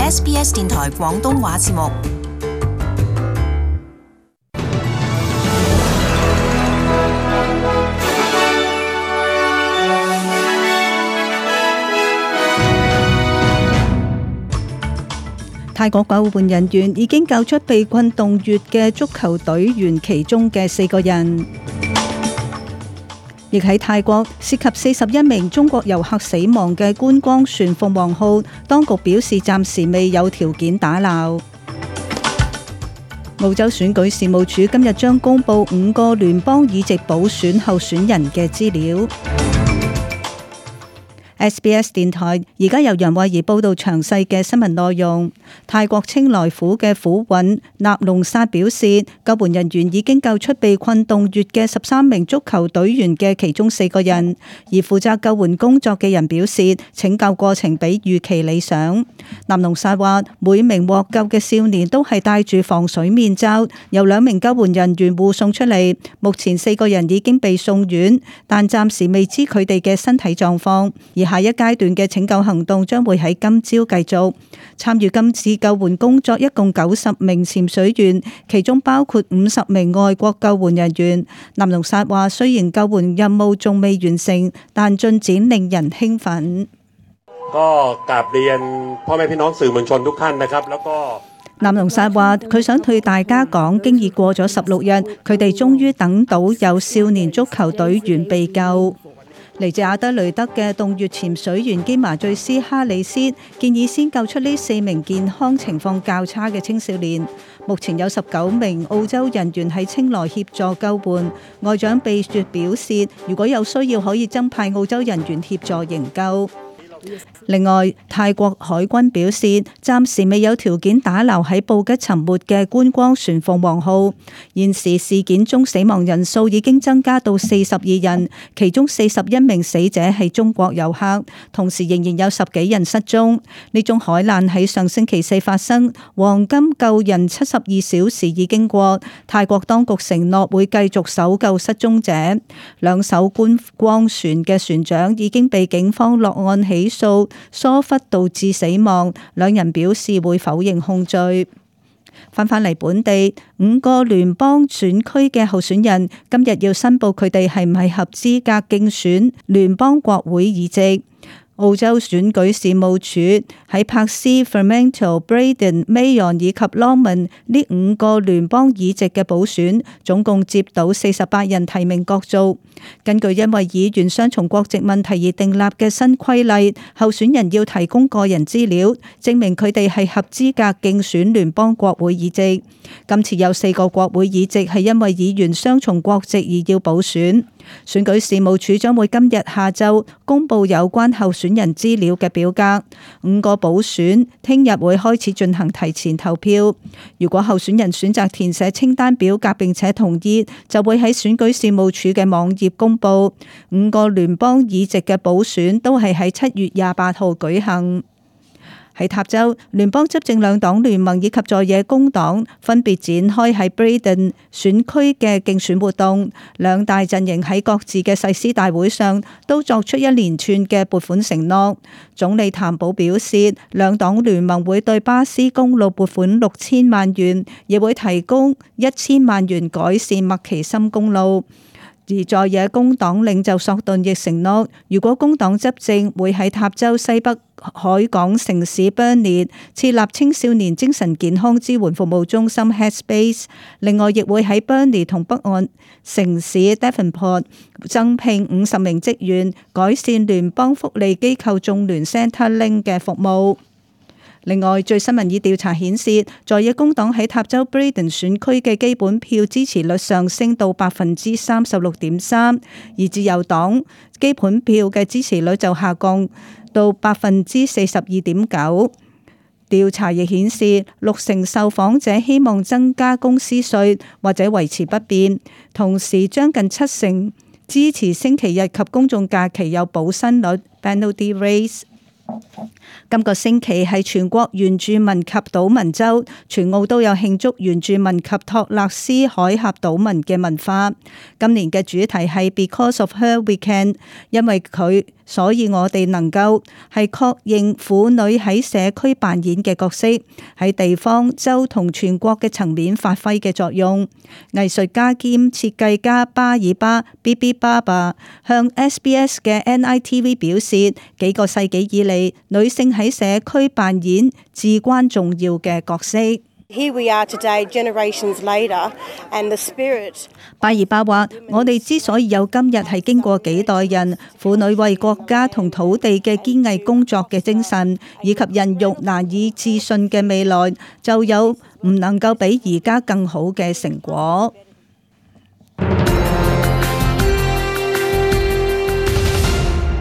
SBS 電台廣東話節目。泰國救援人員已經救出被困洞穴嘅足球隊員其中嘅4個人。亦喺泰國涉及41名中國遊客死亡嘅觀光船鳳凰號，當局表示暫時未有條件打撈。澳洲選舉事務處今日將公布5個聯邦議席補選候選人嘅資料。SBS 電台而家由楊慧儀報道詳細嘅新聞內容。泰國清萊府嘅府尹納隆薩表示，救援人員已經救出被困洞穴嘅13名足球隊員嘅其中4個人，而負責救援工作嘅人表示，拯救過程比預期理想。納隆薩話，每名獲救嘅少年都係戴住防水面罩，由2名救援人員護送出嚟。目前4個人已經被送院，但暫時未知佢哋嘅身體狀況。而下一階段嘅拯救行動將會喺今朝繼續。參與今次救援工作一共90名潛水員，其中包括50名外國救援人員。納隆薩話，雖然救援任務仲未完成，但進展令人興奮。納隆薩話，佢想對大家講，經已過咗16日，佢哋終於等到有少年足球隊員被救。嚟自阿德雷德嘅洞穴潛水員基麻醉師哈里斯建議先救出呢4名健康情況較差嘅青少年。目前有19名澳洲人員喺清萊協助救援。外長貝雪表示，如果有需要可以增派澳洲人員協助營救。另外，泰國海軍表示，暫時未有條件打撈喺布吉沉沒嘅觀光船鳳凰號。現時事件中死亡人數已經增加到42人，其中41名死者係中國遊客，同時仍然有10幾人失蹤。呢宗海難喺上星期4發生，黃金救人72小時已經過，泰國當局承諾會繼續搜救失蹤者。2艘觀光船嘅船長已經被警方落案起訴疏忽導致死亡，2人表示會否認控罪。返嚟本地，5個聯邦選區嘅候選人今日要申報佢哋係唔係合資格競選聯邦國會議席。澳洲選舉事務處喺柏斯、Fremantle、Braden、Mayon 以及 Longman 呢5個聯邦議席嘅補選，總共接到48人提名角逐。根據因為議員雙重國籍問題而訂立嘅新規例，候選人要提供個人資料，證明佢哋係合資格競選聯邦國會議席。今次有4個國會議席係因為議員雙重國籍而要補選。選舉事務處將會今日下晝公布有關候選人資料嘅表格。5個補選聽日會開始進行提前投票。如果候選人選擇填寫清單表格並且同意，就會喺選舉事務處嘅網頁公布。5個聯邦議席嘅補選都係喺7月28號舉行。喺塔州，聯邦執政兩黨聯盟以及在野工黨分別展開喺 Braden 選區嘅競選活動。兩大陣營喺各自嘅誓師大會上都作出一連串嘅撥款承諾。總理譚寶表示，兩黨聯盟會對巴斯公路撥款6000萬元，亦會提供1000萬元改善麥奇森公路。而在野工黨領袖索頓亦承諾，如果工黨執政，會喺塔州西北海港城市 Burnie 設立青少年精神健康支援服務中心 Headspace。另外，亦會喺 Burnie 同北岸城市 Devonport 增聘50名職員，改善聯邦福利機構眾聯 Centrelink 嘅服務。另外，最新民意調查顯示，在野工黨喺塔州 Braden 選區嘅基本票支持率上升到 36.3%， 而自由黨基本票嘅支持率就下降到 42.9%。調查亦顯示，60%受訪者希望增加公司稅或者維持不變，同時將近70%支持星期日及公眾假期有補薪率 penalty raise。今個星期係全國原住民及島民週，全澳都有慶祝原住民及托勒斯海峽島民嘅文化。今年嘅主題係 Because of her we can， 因為佢，所以我哋能夠，係確認婦女喺社區扮演嘅角色，喺地方、州同全國嘅層面發揮嘅作用。藝術家兼設計家巴爾巴 BB Baba 向 SBS 嘅 NITV 表示，幾個世紀以嚟，女性喺社區扮演至關重要嘅角色。Here we are today, generations later, and the spirit. 巴爾巴話：我哋之所以有今日，係經過幾代人婦女為國家同土地嘅堅毅工作嘅精神，以及孕育難以置信嘅未來，就有唔能夠比而家更好嘅成果。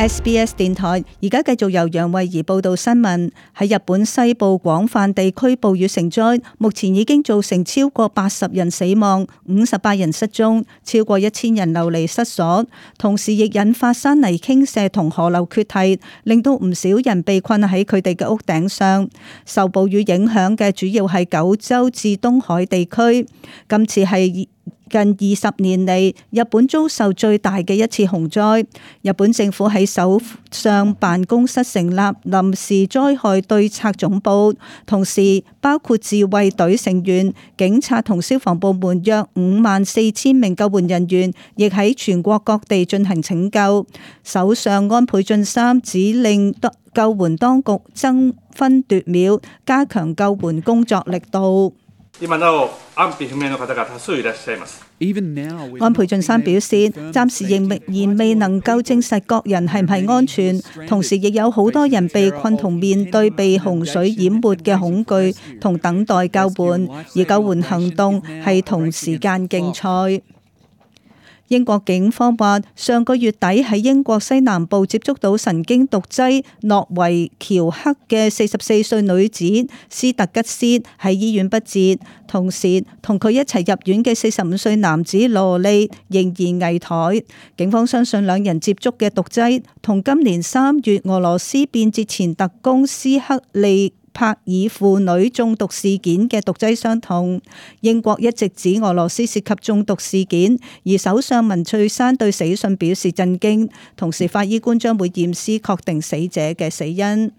SBS 電台而家繼續由楊慧儀報道新聞。喺日本西部廣泛地區暴雨成災，目前已經造成超過80人死亡、58人失蹤，超過1000人流離失所。同時亦引發山泥傾瀉同河流決堤，令到唔少人被困喺佢哋嘅屋頂上。受暴雨影響嘅主要係九州至東海地區。今次係近20年嚟，日本遭受最大嘅一次洪災。日本政府喺首相辦公室成立臨時災害對策總部，同時包括自衛隊成員、警察同消防部門約54000名救援人員，亦喺全國各地進行拯救。首相安倍晉三指令救援當局爭分奪秒，加強救援工作力度。安倍晉三表示，暫時仍然未能夠證實各人係唔係安全，同時亦有好多人被困同面對被洪水淹沒嘅恐懼同等待救援，而救援行動係同時間競賽。英國警方話，上個月底喺英國西南部接觸到神經毒劑諾維喬克嘅44歲女子斯特吉斯喺醫院不治，同時同佢一齊入院嘅45歲男子羅利仍然危殆。警方相信兩人接觸嘅毒劑同今年3月俄羅斯變節前特工斯克利帕爾婦女中毒事件嘅毒劑相同。英國一直指俄羅斯涉及中毒事件，而首相文翠珊對死訊表示震驚，同時法醫官將會驗屍確定死者嘅死因。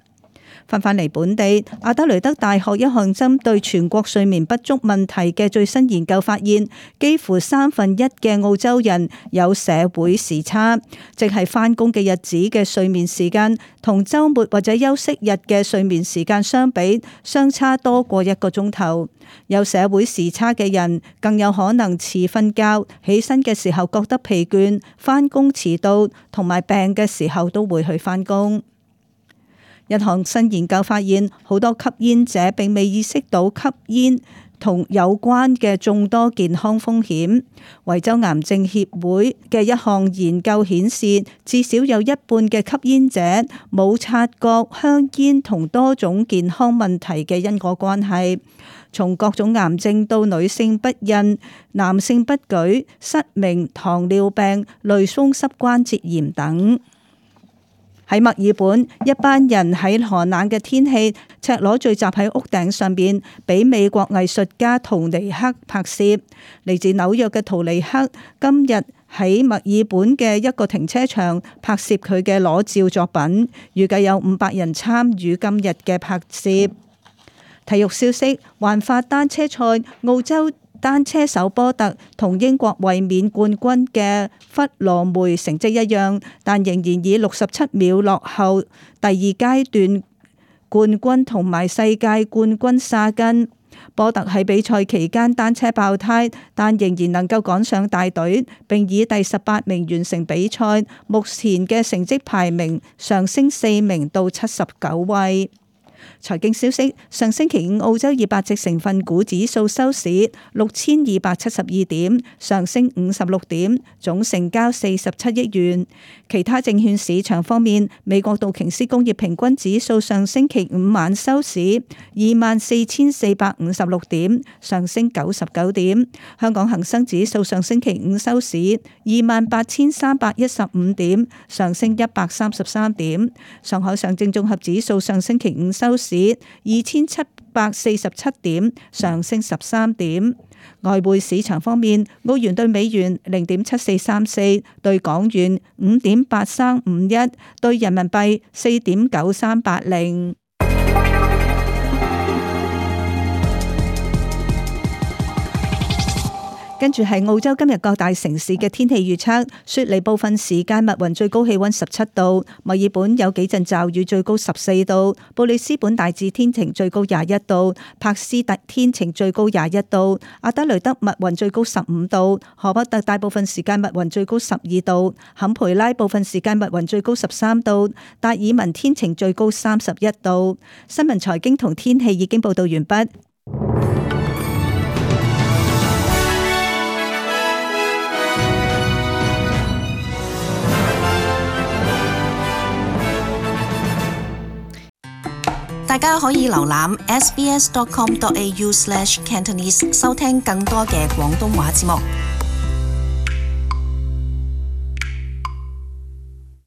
翻嚟本地，阿德雷德大學一項針對全國睡眠不足問題嘅最新研究發現，幾乎1/3嘅澳洲人有社會時差，即係返工嘅日子嘅睡眠時間同週末或者休息日嘅睡眠時間相比，相差多過1個鐘頭。有社會時差嘅人更有可能遲瞓覺，起身嘅時候覺得疲倦，返工遲到，同埋病嘅時候都會去返工。一項新研究發現，好多吸煙者並未意識到吸煙同有關嘅眾多健康風險。維州癌症協會嘅一項研究顯示，至少有1半嘅吸煙者冇察覺香煙同多種健康問題嘅因果關係，從各種癌症到女性不孕、男性不舉、失明、糖尿病、類風濕關節炎等。喺墨爾本，一班人喺寒冷嘅天氣赤裸聚集喺屋頂上邊，俾美國藝術家圖尼克拍攝。嚟自紐約嘅圖尼克今日喺墨爾本嘅一個停車場拍攝佢嘅裸照作品，預計有500人參與今日嘅拍攝。體育消息：環法單車賽，澳洲單車手波特同英國衛冕冠軍嘅弗羅梅成績一樣，但仍然以67秒落後第二階段冠軍同埋世界冠軍沙根。波特喺比賽期間單車爆胎，但仍然能夠趕上大隊，並以第18名完成比賽，目前嘅成績排名上升4名到79位。財經消息：上星期五澳洲200隻成分股指數收市6272點，上升56點，總成交47億元。其他證券市場方面，美國道瓊斯工業平均指數上星期五晚收市24,456點，上升99點。香港恒生指數上星期五收市28,315點，上升133點。上海上證綜合指數上星期五收市2,747點，上升13點。外匯市場方面，澳元兌美元0.7434，兌港元5.8351，兌人民幣4.9380。跟住係澳洲今日各大城市嘅天氣預測：雪梨部分時間密雲，最高氣溫17度；墨爾本有幾陣驟雨，最高14度；布里斯本大致天晴，最高21度；柏斯特天晴，最高21度；阿德雷德密雲，最高15度；荷伯特大部分時間密雲，最高12度；坎培拉部分時間密雲，最高13度；達爾文天晴，最高31度。新聞財經同天氣已經報道完畢。大家可以瀏覽 sbs.com.au/cantonese 收聽更多嘅廣東話節目。